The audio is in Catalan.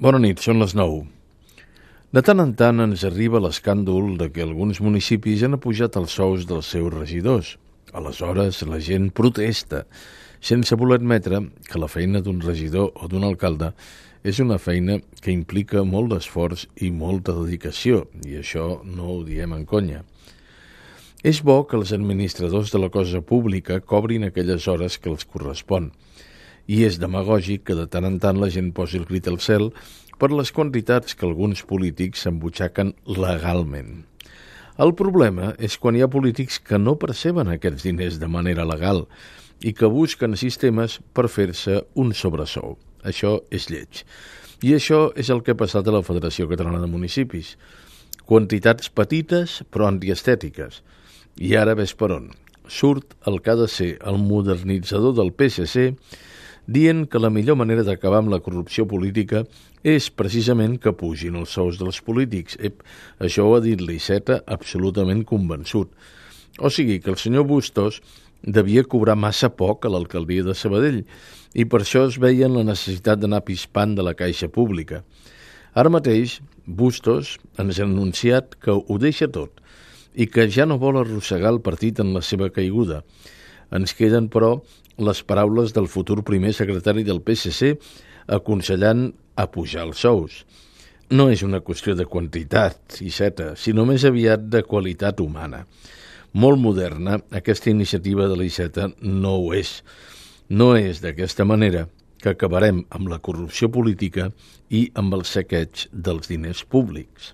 Bona nit, són les 9. De tant en tant ens arriba l'escàndol de que alguns municipis han apujat els sous dels seus regidors. Aleshores, la gent protesta, sense voler admetre que la feina d'un regidor o d'un alcalde és una feina que implica molt d'esforç i molta dedicació, i això no ho diem en conya. És bo que els administradors de la cosa pública cobrin aquelles hores que els correspon, i és demagògic que de tant en tant la gent posi el crit al cel per les quantitats que alguns polítics s'embutxaquen legalment. El problema és quan hi ha polítics que no perceben aquests diners de manera legal i que busquen sistemes per fer-se un sobresou. Això és lleig. I això és el que ha passat a la Federació Catalana de Municipis. Quantitats petites però antiestètiques. I ara ves per on. Surt el que ha de ser el modernitzador del PSC dient que la millor manera d'acabar amb la corrupció política és precisament que pugin els sous dels polítics. Això ho ha dit l'Iceta absolutament convençut. O sigui que el senyor Bustos devia cobrar massa poc a l'alcaldia de Sabadell i per això es veia en la necessitat d'anar pispant de la caixa pública. Ara mateix, Bustos ens ha anunciat que ho deixa tot i que ja no vol arrossegar el partit en la seva caiguda. Ens queden, però, les paraules del futur primer secretari del PSC aconsellant apujar els sous. No és una qüestió de quantitat, Iceta, sinó més aviat de qualitat humana. Molt moderna, aquesta iniciativa de l'Iceta no ho és. No és d'aquesta manera que acabarem amb la corrupció política i amb el saqueig dels diners públics.